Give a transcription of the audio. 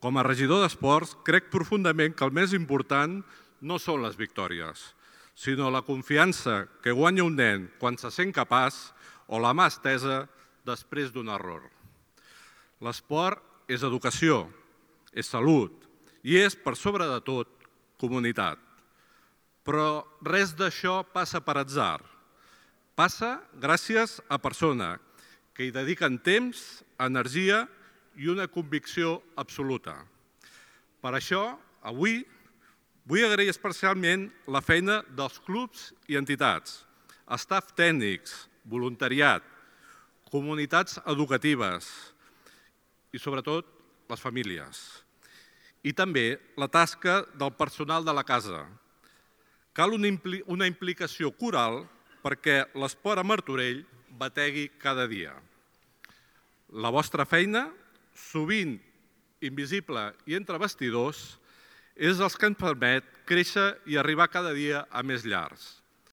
Com a regidor d'Esports, crec profundament que el més important no són les victòries, sinó la confiança que guanya un nen quan se sent capaç o la mà estesa després d'un error. L'esport és educació, és salut i és, per sobre de tot, comunitat. Però res d'això passa per atzar. Passa gràcies a persones que hi dediquen temps, energia i una convicció absoluta. Per això, avui, vull agrair especialment la feina dels clubs i entitats, staff tècnics, voluntariat, comunitats educatives i, sobretot, les famílies. I també la tasca del personal de la casa. Cal una implicació coral perquè l'esport a Martorell bategui cada dia. La vostra feina, sovint invisible i entre bastidors, és el que ens permet créixer i arribar cada dia a més llars.